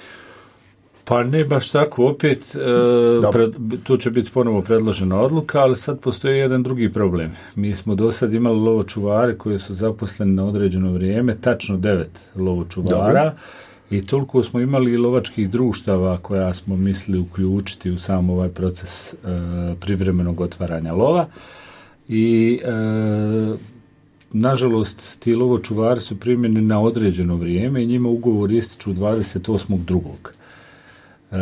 S3: Pa ne baš tako, opet e, pred, tu će biti ponovo predložena odluka, ali sad postoji jedan drugi problem. Mi smo do sad imali lovočuvare koji su zaposleni na određeno vrijeme, tačno devet lovočuvara. Dobro. I toliko smo imali lovačkih društava koja smo mislili uključiti u sam ovaj proces e, privremenog otvaranja lova. I e, nažalost ti lovočuvari su primjeni na određeno vrijeme i njima ugovor ističu dvadeset osmog drugog Uh,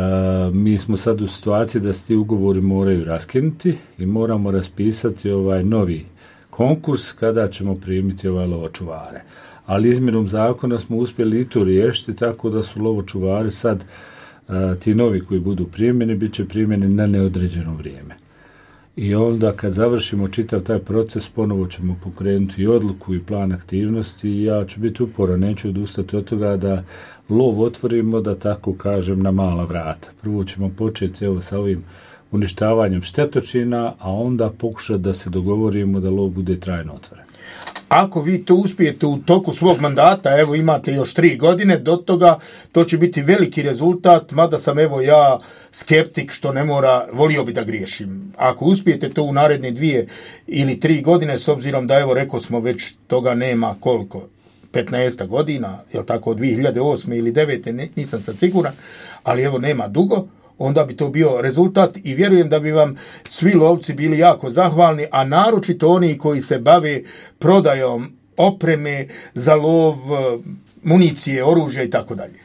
S3: mi smo sad u situaciji da se ti ugovori moraju raskinuti i moramo raspisati ovaj novi konkurs kada ćemo primiti ovaj lovočuvare. Ali izmjenom zakona smo uspjeli i to riješiti tako da su lovočuvari sad uh, ti novi koji budu primjeni bit će primjeni na neodređeno vrijeme. I onda kad završimo čitav taj proces ponovo ćemo pokrenuti i odluku i plan aktivnosti i ja ću biti uporan, neću odustati od toga da lov otvorimo, da tako kažem, na mala vrata. Prvo ćemo početi evo sa ovim uništavanjem štetočina, a onda pokušati da se dogovorimo da lov bude trajno otvoren.
S2: Ako vi to uspijete u toku svog mandata, evo imate još tri godine, do toga to će biti veliki rezultat, mada sam evo ja skeptik što ne mora, volio bi da griješim. Ako uspijete to u naredne dvije ili tri godine, s obzirom da evo rekao smo već toga nema koliko, petnaest godina, jel tako, od dvije hiljade osme ili devete, nisam sad siguran, ali evo nema dugo, onda bi to bio rezultat i vjerujem da bi vam svi lovci bili jako zahvalni, a naročito oni koji se bave prodajom opreme za lov, municije, oružja i tako dalje.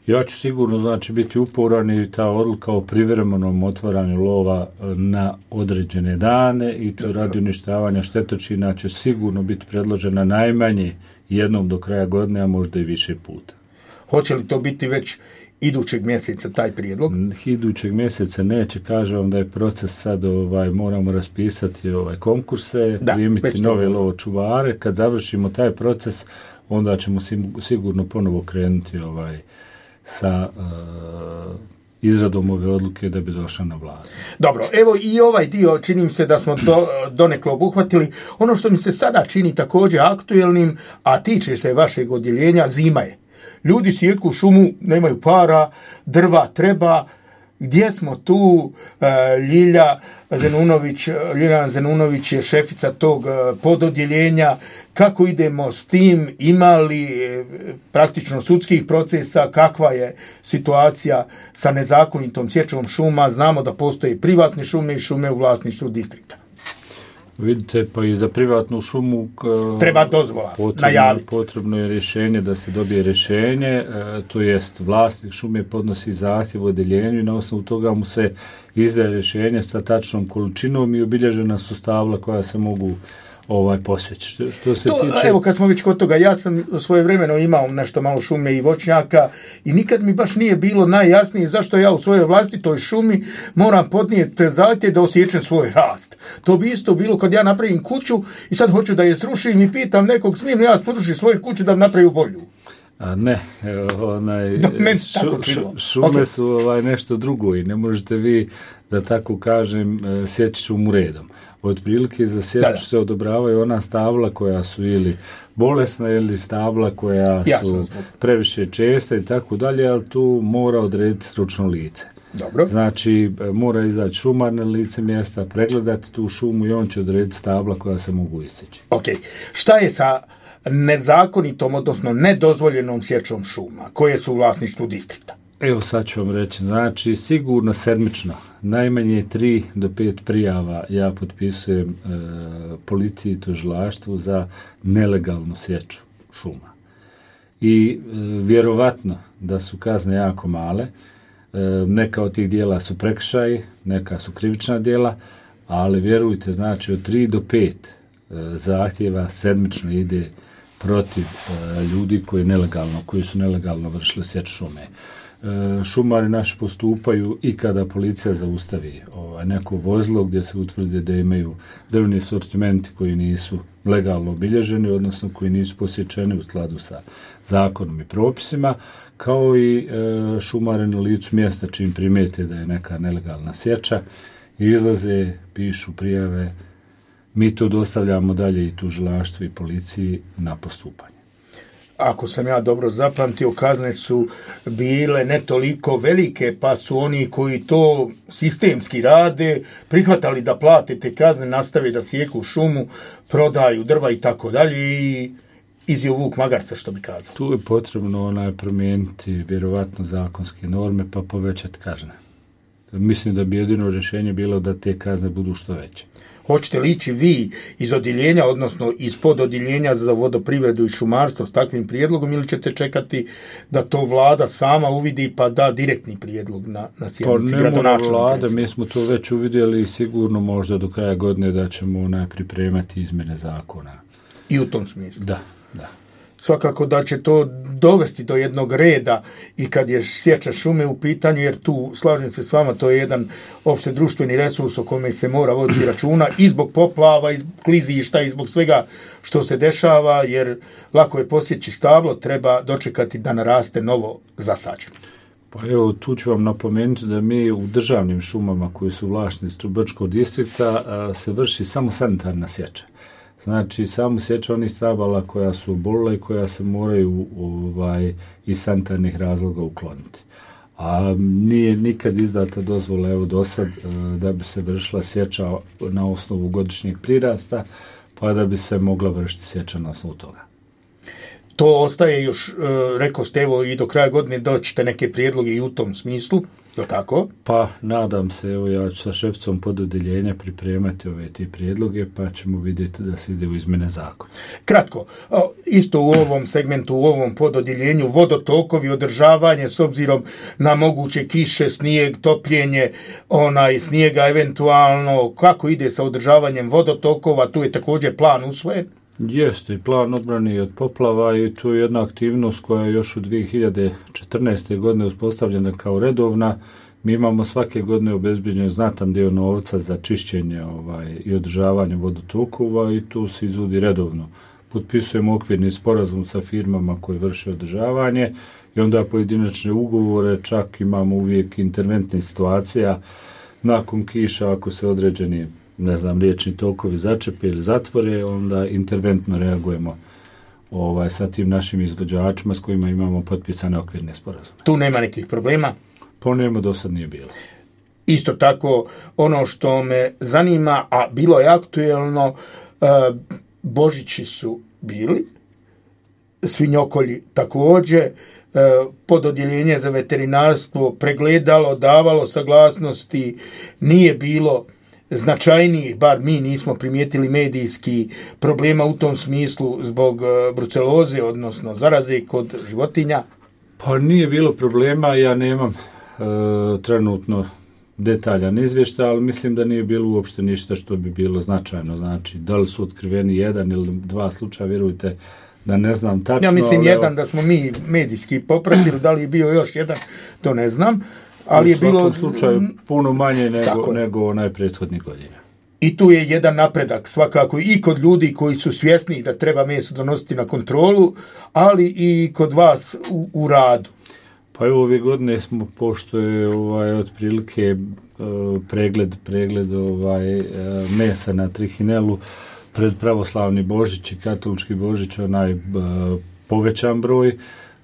S3: Ja ću sigurno znači biti uporan i ta odluka o privremenom otvaranju lova na određene dane i to radi uništavanja štetočina će sigurno biti predložena najmanje jednom do kraja godine, a možda i više puta.
S2: Hoće li to biti već idućeg mjeseca taj prijedlog?
S3: Idućeg mjeseca neće, kažem vam da je proces sad, ovaj, moramo raspisati ovaj konkurse, primiti nove lovočuvare. Kad završimo taj proces, onda ćemo sigurno ponovo krenuti ovaj, sa uh, izradom ove odluke da bi došla na vladu.
S2: Dobro, evo i ovaj dio čini mi se da smo do, donekle obuhvatili. Ono što mi se sada čini također aktuelnim, a tiče se vašeg odjeljenja, zima je. Ljudi sjeku šumu, nemaju para, drva treba. Gdje smo tu? Ljilja Zenunović, Ljiljana Zenunović je šefica tog pododjeljenja. Kako idemo s tim? Ima li praktično sudskih procesa? Kakva je situacija sa nezakonitom sječom šuma? Znamo da postoje privatne šume i šume u vlasništvu distrikta.
S3: Vidite, pa i za privatnu šumu
S2: treba dozvola,
S3: potrebno,
S2: najaviti.
S3: Potrebno je rješenje da se dobije rješenje, e, to jest vlasnik šume podnosi zahtjev u odjeljenju i na osnovu toga mu se izdaje rješenje sa tačnom količinom i obilježena su stabla koja se mogu ovaj posjeći. Što, što se
S2: to,
S3: tiče...
S2: Evo kad smo već kod toga, ja sam svojevremeno imao nešto malo šume i voćnjaka i nikad mi baš nije bilo najjasnije zašto ja u svojoj vlastitoj šumi moram podnijeti zahtjev da osjećam svoj rast. To bi isto bilo kad ja napravim kuću i sad hoću da je srušim i pitam nekog smijem li ja srušiti svoju kuću da napravim bolju.
S3: A ne, onaj,
S2: Do,
S3: šu, šu, šume okay. su ovaj, nešto drugo i ne možete vi, da tako kažem, sjeći šumu redom. Otprilike za sječu se odobravaju ona stabla koja su ili bolesna ili stabla koja
S2: Jasno.
S3: su previše česta i tako dalje, ali tu mora odrediti stručno lice.
S2: Dobro.
S3: Znači, mora izaći šumar na lice mjesta, pregledati tu šumu i on će odrediti stabla koja se mogu isjeći.
S2: Ok. Šta je sa nezakonitom, odnosno nedozvoljenom sječom šuma, koje su u vlasništvu distrikta?
S3: Evo sad ću vam reći, znači sigurno sedmično, najmanje tri do pet prijava ja potpisujem e, policiji i tužilaštvu za nelegalnu sječu šuma. I e, vjerovatno da su kazne jako male, e, neka od tih dijela su prekršaji, neka su krivična dijela, ali vjerujte, znači od tri do pet e, zahtjeva sedmično ide protiv e, ljudi koji nelegalno, koji su nelegalno vršili sječu šume. Šumari naši postupaju i kada policija zaustavi ovaj, neko vozilo gdje se utvrdi da imaju drvni sortimenti koji nisu legalno obilježeni, odnosno koji nisu posječeni u skladu sa zakonom i propisima, kao i e, šumari na licu mjesta čim primijete da je neka nelegalna sječa, izlaze, pišu prijave, mi to dostavljamo dalje i tužilaštvu i policiji na postupanje.
S2: Ako sam ja dobro zapamtio, kazne su bile ne toliko velike, pa su oni koji to sistemski rade prihvatali da plate te kazne, nastave da sjeku šumu, prodaju drva i tako dalje i izjeo vuk magarca, što bi kazao.
S3: Tu je potrebno onaj promijeniti vjerovatno zakonske norme pa povećati kazne. Mislim da bi jedino rješenje bilo da te kazne budu što veće.
S2: Hoćete li ići vi iz odjeljenja, odnosno iz pododjeljenja za vodoprivredu i šumarstvo s takvim prijedlogom ili ćete čekati da to vlada sama uvidi pa da direktni prijedlog na, na sjednici gradonačelnika?
S3: Pa ne mora vlada, mi smo to već uvidjeli i sigurno možda do kraja godine da ćemo pripremati izmjene zakona.
S2: I u tom smislu?
S3: Da, da.
S2: Svakako da će to dovesti do jednog reda i kad je sječa šume u pitanju, jer tu, slažem se s vama, to je jedan opšte društveni resurs o kome se mora voditi računa i zbog poplava, i zbog klizišta, i zbog svega što se dešava, jer lako je posjeći stablo, treba dočekati da naraste novo zasađeno.
S3: Pa evo, tu ću vam napomenuti da mi u državnim šumama koji su vlasništvu Brčkog distrikta se vrši samo sanitarna sječa. Znači, samo sječa onih stabala koja su obolila i koja se moraju ovaj, iz sanitarnih razloga ukloniti. A nije nikad izdata dozvola, evo do sad, da bi se vršila sječa na osnovu godišnjeg prirasta, pa da bi se mogla vršiti sječa na osnovu toga.
S2: To ostaje još, rekao ste, evo i do kraja godine doćete neke prijedloge i u tom smislu, je tako?
S3: Pa, nadam se, evo ja ću sa šefcom pododjeljenja pripremati ove te prijedloge, pa ćemo vidjeti da se ide u izmjene zakona.
S2: Kratko, isto u ovom segmentu, u ovom pododjeljenju, vodotokovi, održavanje s obzirom na moguće kiše, snijeg, topljenje, onaj snijega eventualno, kako ide sa održavanjem vodotokova, tu je također plan usvojen?
S3: Jeste, plan odbrane od poplava i tu je jedna aktivnost koja je još u dvije hiljade četrnaeste. godine uspostavljena kao redovna. Mi imamo svake godine obezbeđen znatan dio novca za čišćenje ovaj, i održavanje vodotokova i tu se izvodi redovno potpisujemo okvirni sporazum sa firmama koje vrše održavanje i onda pojedinačne ugovore, čak imamo uvijek interventne situacija nakon kiša, ako se određeni, ne znam, riječni tokovi začepe ili zatvore, onda interventno reagujemo ovaj, sa tim našim izvođačima s kojima imamo potpisane okvirne sporazume.
S2: Tu nema nekih problema?
S3: Po njemu do sad nije bilo.
S2: Isto tako, ono što me zanima, a bilo je aktuelno, Božići su bili, svinjokolji također, pododjeljenje za veterinarstvo pregledalo, davalo saglasnosti, nije bilo značajnijih, bar mi nismo primijetili medijski problema u tom smislu zbog bruceloze, odnosno zaraze kod životinja.
S3: Pa nije bilo problema, ja nemam e, trenutno detaljan izvještaj, ali mislim da nije bilo uopšte ništa što bi bilo značajno. Znači, da li su otkriveni jedan ili dva slučaja, vjerujte da ne znam tačno.
S2: Ja mislim
S3: ali,
S2: jedan da smo mi medijski popratili, da li je bio još jedan, to ne znam. Ali je bilo
S3: u slučaju puno manje nego, nego onaj prethodni godina.
S2: I tu je jedan napredak svakako i kod ljudi koji su svjesni da treba meso donositi na kontrolu, ali i kod vas u, u radu.
S3: Pa evo ove godine smo, pošto je ovaj, otprilike uh, pregled, pregled ovaj, uh, mesa na trihinelu pred pravoslavni Božić i katolički Božić onaj uh, povećan broj,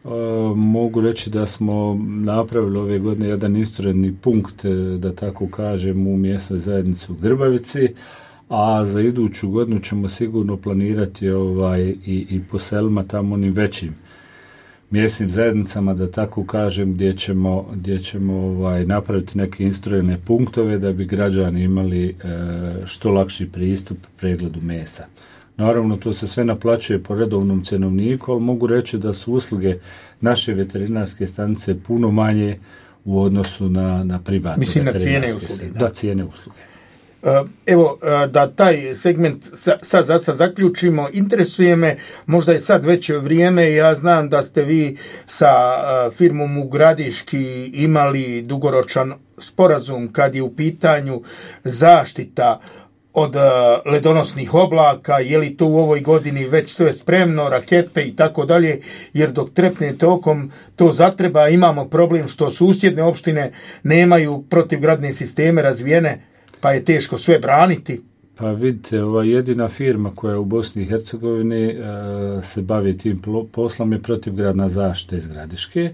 S3: uh, mogu reći da smo napravili ove godine jedan istoredni punkt, da tako kažem, u mjesnoj zajednici u Grbavici, a za iduću godinu ćemo sigurno planirati ovaj, i, i po selima tamo onim većim mjesnim zajednicama, da tako kažem, gdje ćemo, gdje ćemo ovaj, napraviti neke instruirane punktove da bi građani imali e, što lakši pristup pregledu mesa. Naravno, to se sve naplaćuje po redovnom cenovniku, ali mogu reći da su usluge naše veterinarske stanice puno manje u odnosu na, na privatne
S2: Mislim,
S3: veterinarske
S2: na cijene usluge.
S3: Da, da cijene usluge.
S2: Evo, da taj segment sad za sad zaključimo, interesuje me, možda je sad već vrijeme, ja znam da ste vi sa firmom u Gradiški imali dugoročan sporazum kad je u pitanju zaštita od ledonosnih oblaka, je li to u ovoj godini već sve spremno, rakete i tako dalje, jer dok trepne tokom to zatreba, imamo problem što susjedne opštine nemaju protivgradne sisteme razvijene, pa je teško sve braniti.
S3: Pa vidite, ova jedina firma koja je u Bosni i Hercegovini e, se bavi tim poslom je protivgradna zaštita iz Gradiške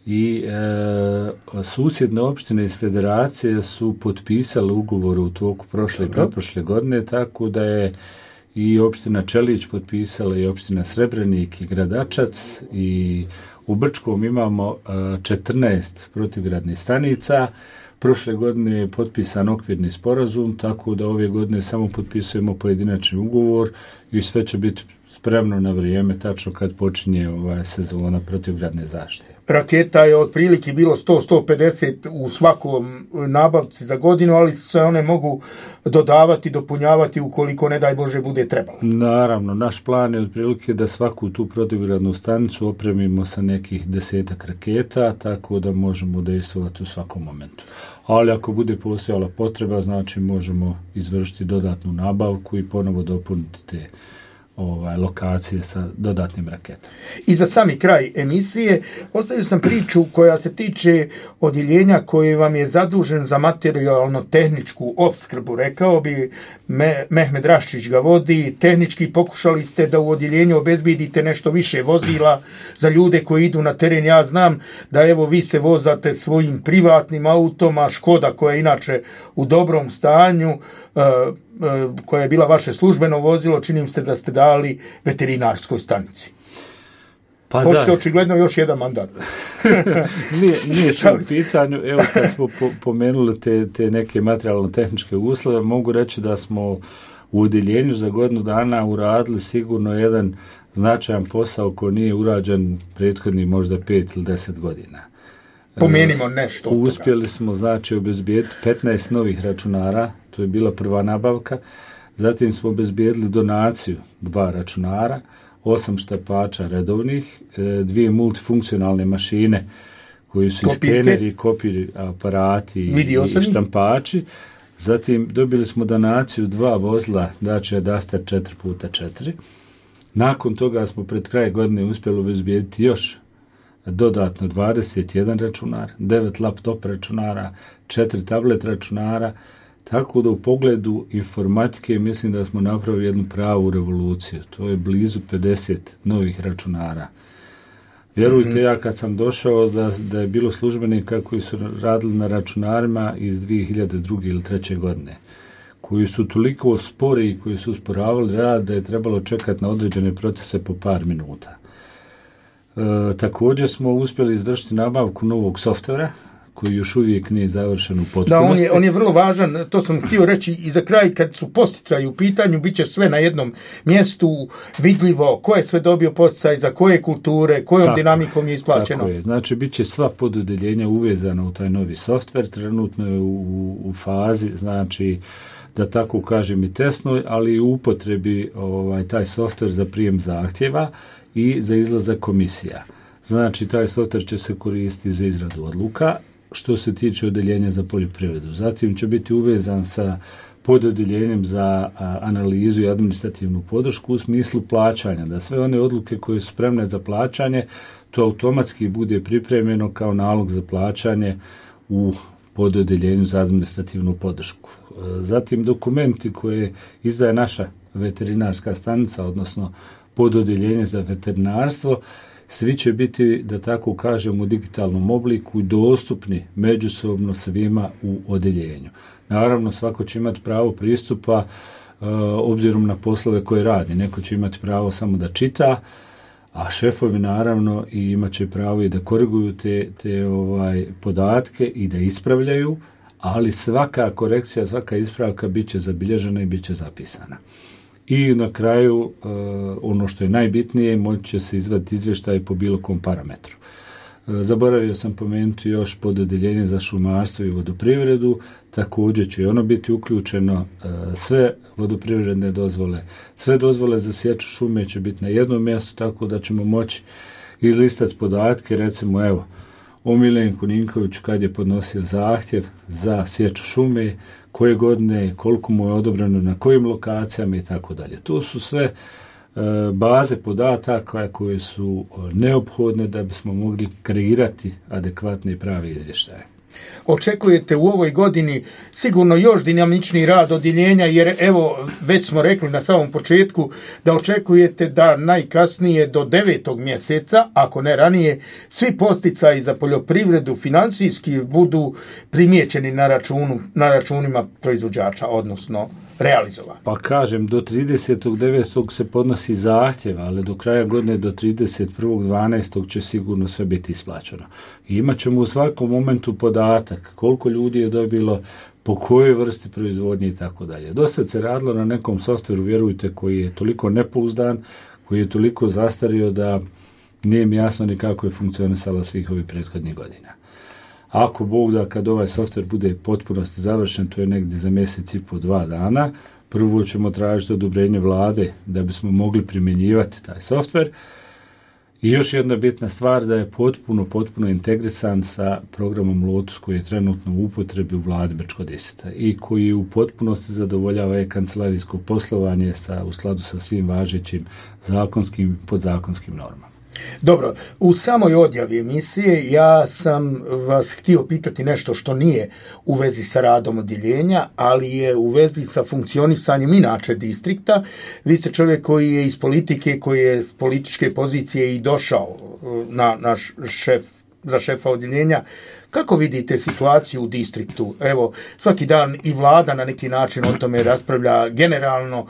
S3: i e, susjedne opštine iz federacije su potpisale ugovor u toku prošle i pretprošle godine, tako da je i opština Čelić potpisala i opština Srebrenik i Gradačac, i u Brčkom imamo e, četrnaest protivgradnih stanica. Prošle godine je potpisan okvirni sporazum, tako da ove godine samo potpisujemo pojedinačni ugovor i sve će biti spremno na vrijeme, tačno kad počinje ovaj sezona protivgradne zaštite.
S2: Raketa je otprilike bilo sto do sto pedeset u svakom nabavci za godinu, ali se one mogu dodavati, dopunjavati ukoliko, ne daj Bože, bude trebalo.
S3: Naravno, naš plan je otprilike da svaku tu protivgradnu stanicu opremimo sa nekih desetak raketa, tako da možemo dejstvovati u svakom momentu. Ali ako bude postojala potreba, znači možemo izvršiti dodatnu nabavku i ponovo dopuniti te ovaj, lokacije sa dodatnim raketama.
S2: I za sami kraj emisije ostavio sam priču koja se tiče odjeljenja koje vam je zadužen za materijalno-tehničku opskrbu. Rekao bi, Me, Mehmed Raščić ga vodi, tehnički pokušali ste da u odjeljenju obezbedite nešto više vozila za ljude koji idu na teren. Ja znam da evo vi se vozate svojim privatnim autom, a Škoda koja je inače u dobrom stanju, uh, koja je bila vaše službeno vozilo, činim se da ste dali veterinarskoj stanici. Pa hoćete očigledno još jedan mandat.
S3: nije nije to pitanje. Evo, kad smo po, pomenuli te, te neke materijalno-tehničke uslove, mogu reći da smo u odjeljenju za godinu dana uradili sigurno jedan značajan posao koji nije urađen prethodni možda pet ili deset godina.
S2: Pomenimo nešto.
S3: Uspjeli smo, znači, obezbijediti petnaest novih računara, to je bila prva nabavka. Zatim smo obezbijedili donaciju dva računara, osam štampača redovnih, dvije multifunkcionalne mašine koji su i skeneri, kopir aparati i, i štampači. Zatim dobili smo donaciju dva vozila, znači Duster četiri puta četiri. Nakon toga smo pred kraj godine uspjeli obezbijediti još dodatno dvadeset jedan računar, devet laptop računara, četiri tablet računara, tako da u pogledu informatike mislim da smo napravili jednu pravu revoluciju. To je blizu pedeset novih računara. Vjerujte, mm-hmm. ja kad sam došao da, da je bilo službenika koji su radili na računarima iz dvije hiljade druge ili treće godine, koji su toliko spori i koji su usporavali rad da je trebalo čekati na određene procese po par minuta. E, također smo uspjeli izvršiti nabavku novog softvera koji još uvijek nije završen u potpunosti.
S2: Da, on je, on je vrlo važan, to sam htio reći i za kraj, kad su posticaji u pitanju, bit će sve na jednom mjestu vidljivo, ko je sve dobio posticaj, za koje kulture, kojom tako, dinamikom je isplaćeno.
S3: Tako je, znači bit će sva pododeljenja uvezana u taj novi softver, trenutno je u, u fazi, znači da tako kažem i testnoj, ali i u upotrebi ovaj, taj softver za prijem zahtjeva i za izlazak komisija. Znači, taj softver će se koristiti za izradu odluka što se tiče odeljenja za poljoprivredu. Zatim će biti uvezan sa pododeljenjem za a, analizu i administrativnu podršku u smislu plaćanja, da sve one odluke koje su spremne za plaćanje, to automatski bude pripremljeno kao nalog za plaćanje u pododeljenju za administrativnu podršku. Zatim dokumenti koje izdaje naša veterinarska stanica, odnosno pododeljenje za veterinarstvo, svi će biti, da tako kažem, u digitalnom obliku i dostupni međusobno svima u odeljenju. Naravno, svako će imati pravo pristupa e, obzirom na poslove koje radi. Neko će imati pravo samo da čita, a šefovi naravno i imat će pravo i da koriguju te, te ovaj, podatke i da ispravljaju, ali svaka korekcija, svaka ispravka bit će zabilježena i bit će zapisana. I na kraju, uh, ono što je najbitnije, moći će se izvaditi izvještaj po bilo kom parametru. Uh, zaboravio sam pomenuti još pododeljenje za šumarstvo i vodoprivredu, također će i ono biti uključeno, uh, sve vodoprivredne dozvole, sve dozvole za sječu šume će biti na jednom mjestu, tako da ćemo moći izlistati podatke, recimo evo, o Milenku Ninkoviću kad je podnosio zahtjev za sječu šume, koje godine, koliko mu je odobreno, na kojim lokacijama i tako dalje. To su sve e, baze podataka koje su neophodne da bismo mogli kreirati adekvatne i prave izvještaje.
S2: Očekujete u ovoj godini sigurno još dinamičniji rad odjeljenja, jer evo već smo rekli na samom početku da očekujete da najkasnije do devetog mjeseca, ako ne ranije, svi posticaji za poljoprivredu financijski budu primijećeni na računu, na računima proizvođača, odnosno realizovani.
S3: Pa kažem, do tridesetog devetog se podnosi zahtjev, ali do kraja godine, do trideset prvog dvanaestog će sigurno sve biti isplaćeno. I imat ćemo u svakom momentu podatak koliko ljudi je dobilo, po kojoj vrsti proizvodnje i tako dalje. Dosta se radilo na nekom softveru, vjerujte, koji je toliko nepouzdan, koji je toliko zastario da nije mi jasno ni kako je funkcionisalo svih ovih prethodnih godina. Ako Bog da, kad ovaj softver bude potpunosti završen, to je negdje za mjesec i po dva dana, prvo ćemo tražiti odobrenje vlade da bismo mogli primjenjivati taj softver. I još jedna bitna stvar, da je potpuno, potpuno integrisan sa programom Lotus koji je trenutno u upotrebi u vladi Brčko-Diseta i koji u potpunosti zadovoljava e-kancelarijsko poslovanje sa, u skladu sa svim važećim zakonskim i podzakonskim normama.
S2: Dobro, u samoj odjavi emisije ja sam vas htio pitati nešto što nije u vezi sa radom odjeljenja, ali je u vezi sa funkcionisanjem inače distrikta. Vi ste čovjek koji je iz politike, koji je s političke pozicije i došao na naš šef, za šefa odjeljenja. Kako vidite situaciju u distriktu? Evo, svaki dan i vlada na neki način o tome raspravlja. Generalno,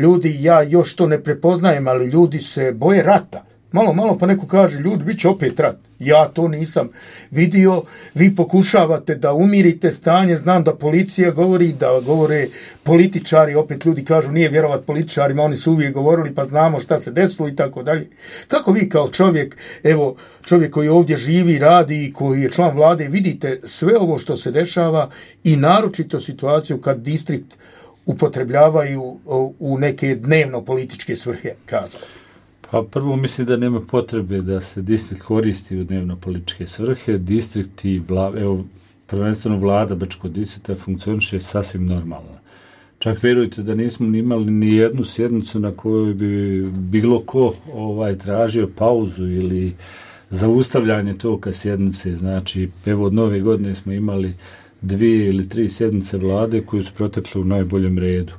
S2: ljudi, ja još to ne prepoznajem, ali ljudi se boje rata. Malo, malo pa neko kaže, ljudi, bit će opet rat. Ja to nisam vidio. Vi pokušavate da umirite stanje. Znam da policija govori, da govore političari. Opet ljudi kažu, nije vjerovat političarima, oni su uvijek govorili, pa znamo šta se desilo i tako dalje. Kako vi kao čovjek, evo, čovjek koji ovdje živi, radi i koji je član vlade, vidite sve ovo što se dešava i naročito situaciju kad distrikt upotrebljavaju u neke dnevno političke svrhe, kazali?
S3: Pa prvo mislim da nema potrebe da se distrikt koristi u dnevno političke svrhe. Distrikt i vla, evo, prvenstveno vlada Brčko-Diseta funkcioniše sasvim normalno. Čak vjerujte da nismo imali ni jednu sjednicu na kojoj bi bilo ko ovaj, tražio pauzu ili zaustavljanje toga sjednice. Znači, evo od nove godine smo imali dvije ili tri sjednice vlade koje su protekle u najboljem redu.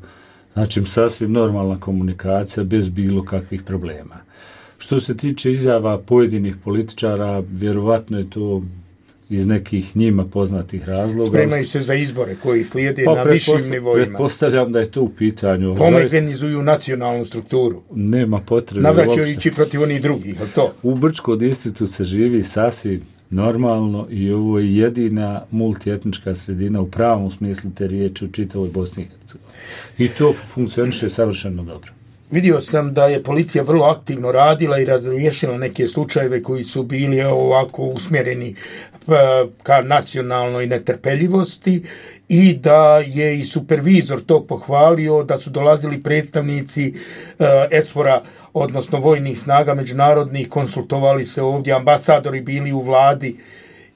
S3: Znači, sasvim normalna komunikacija bez bilo kakvih problema. Što se tiče izjava pojedinih političara, vjerovatno je to iz nekih njima poznatih razloga.
S2: Spremaju se za izbore koji slijede pa, na višim nivoima.
S3: Pretpostavljam da je to u pitanju.
S2: Homogenizuju nacionalnu strukturu.
S3: Nema potrebe.
S2: Navraćajući protiv onih drugih, ali to?
S3: U Brčkom distriktu se živi sasvim normalno i ovo je jedina multietnička sredina u pravom smislu te riječi u čitavoj Bosni i Hercegovini. I to funkcioniše savršeno dobro.
S2: Vidio sam da je policija vrlo aktivno radila i razriješila neke slučajeve koji su bili ovako usmjereni ka nacionalnoj netrpeljivosti i da je i supervizor to pohvalio, da su dolazili predstavnici ESFOR-a, odnosno vojnih snaga međunarodnih, konsultovali se ovdje, ambasadori bili u vladi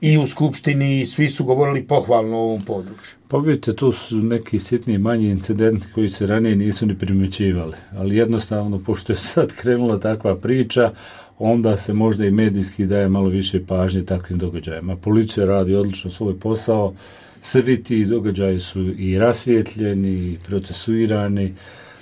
S2: i u skupštini i svi su govorili pohvalno o ovom području.
S3: Pa vidite, to su neki sitni manji incidenti koji se ranije nisu ni primjećivali, ali jednostavno, pošto je sad krenula takva priča, onda se možda i medijski daje malo više pažnje takvim događajima. Policija radi odlično svoj posao, svi ti događaji su i rasvjetljeni, i procesuirani.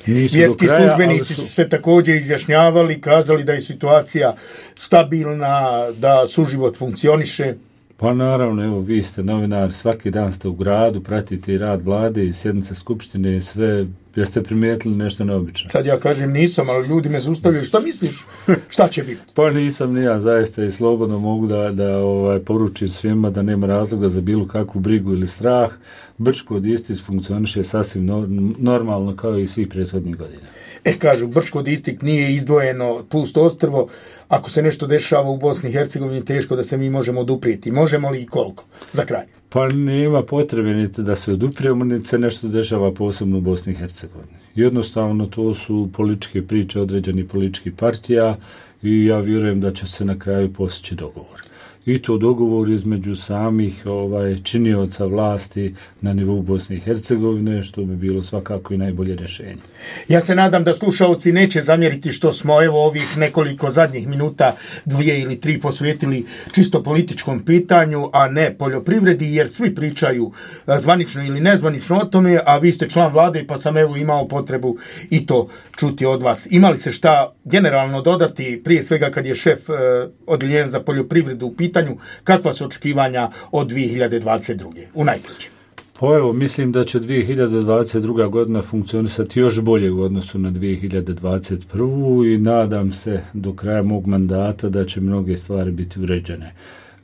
S2: Vjerski službenici su... su se također izjašnjavali, kazali da je situacija stabilna, da suživot funkcioniše.
S3: Pa naravno, evo, vi ste novinar, svaki dan ste u gradu, pratite i rad vlade i sjednice skupštine i sve, jeste primijetili nešto neobično?
S2: Sad ja kažem nisam, ali ljudi me zaustavljaju, šta misliš, šta će biti?
S3: Pa nisam ni ja, zaista i slobodno mogu da, da ovaj, poručim svima da nema razloga za bilo kakvu brigu ili strah. Brčko distrikt funkcioniše sasvim no, normalno kao i svih prethodnih godina.
S2: E, kažu, Brčko distrikt nije izdvojeno pusto ostrvo. Ako se nešto dešava u Bosni i Hercegovini, teško da se mi možemo oduprijeti. Možemo li i koliko? Za kraj.
S3: Pa nema potrebe niti da se oduprijemo, niti se nešto dešava posebno u Bosni i Hercegovini. Jednostavno, to su političke priče određenih političkih partija i ja vjerujem da će se na kraju postići dogovor. I to dogovor između samih ovaj, činioca vlasti na nivou Bosne i Hercegovine, što bi bilo svakako i najbolje rješenje.
S2: Ja se nadam da slušalci neće zamjeriti što smo evo ovih nekoliko zadnjih minuta, dvije ili tri, posvetili čisto političkom pitanju, a ne poljoprivredi, jer svi pričaju zvanično ili nezvanično o tome, a vi ste član vlade, pa sam evo imao potrebu i to čuti od vas. Imali se šta generalno dodati, prije svega kad je šef eh, odjeljenja za poljoprivredu u pitanju, kakva su očekivanja od dvije hiljade dvadeset druge u najkraćem?
S3: Pa evo, mislim da će dvije hiljade dvadeset druga godina funkcionisati još bolje u odnosu na dvije hiljade dvadeset prvu i nadam se do kraja mog mandata da će mnoge stvari biti uređene.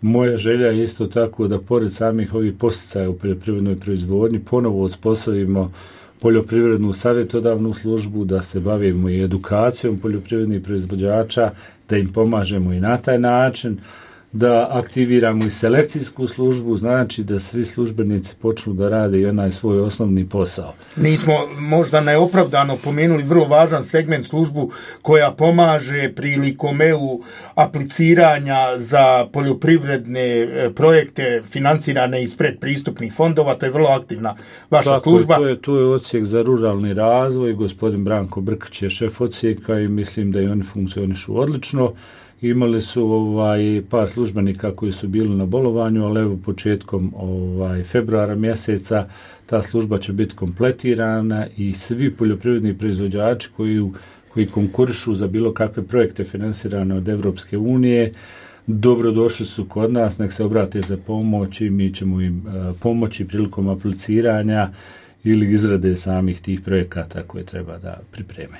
S3: Moja želja je isto tako da pored samih ovih posticaja u poljoprivrednoj proizvodnji ponovo uspostavimo poljoprivrednu savjetodavnu službu, da se bavimo i edukacijom poljoprivrednih proizvođača, da im pomažemo i na taj način, da aktiviramo i selekcijsku službu, znači da svi službenici počnu da rade i onaj svoj osnovni posao.
S2: Nismo možda neopravdano pomenuli vrlo važan segment, službu koja pomaže prilikom E U apliciranja za poljoprivredne projekte financirane iz predpristupnih fondova, to je vrlo aktivna vaša
S3: Tako
S2: služba.
S3: Je, to, je, to je odsjek za ruralni razvoj, gospodin Branko Brkić je šef odsjeka i mislim da i oni funkcionišu odlično. Imali su ovaj par službenika koji su bili na bolovanju, ali evo početkom ovaj februara mjeseca ta služba će biti kompletirana i svi poljoprivredni proizvođači koji koji konkurišu za bilo kakve projekte finansirane od Evropske unije dobrodošli su kod nas, nek se obrate za pomoć i mi ćemo im uh, pomoći prilikom apliciranja ili izrade samih tih projekata koje treba da pripreme.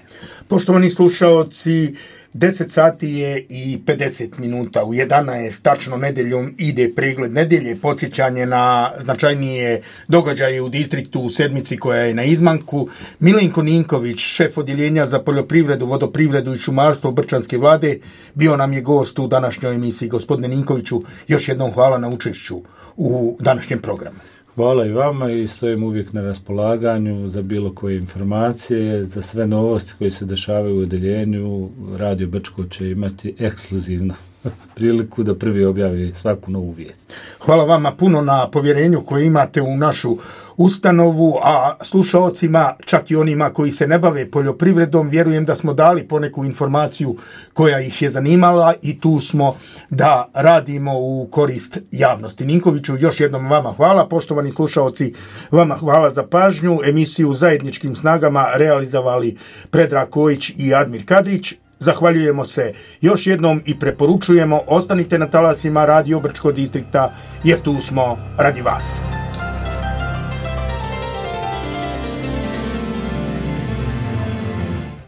S2: Poštovani slušaoci, deset sati je i pedeset minuta, u jedanaest tačno nedeljom ide pregled nedelje, podsjećanje na značajnije događaje u distriktu u sedmici koja je na izmanku. Milenko Ninković, šef odjeljenja za poljoprivredu, vodoprivredu i šumarstvo Brčanske vlade, bio nam je gost u današnjoj emisiji. Gospodine Ninkoviću, još jednom hvala na učešću u današnjem programu.
S3: Hvala i vama i stojim uvijek na raspolaganju za bilo koje informacije, za sve novosti koje se dešavaju u odjeljenju. Radio Brčko će imati ekskluzivno priliku da prvi objavi svaku novu vijest.
S2: Hvala vama puno na povjerenju koje imate u našu ustanovu, a slušaocima, čak i onima koji se ne bave poljoprivredom, vjerujem da smo dali poneku informaciju koja ih je zanimala i tu smo da radimo u korist javnosti. Ninkoviću, još jednom vama hvala. Poštovani slušaoci, vama hvala za pažnju. Emisiju Zajedničkim snagama realizovali Predrag Kojić i Admir Kadrić. Zahvaljujemo se još jednom i preporučujemo, ostanite na talasima Radio Brčko distrikta jer tu smo radi vas.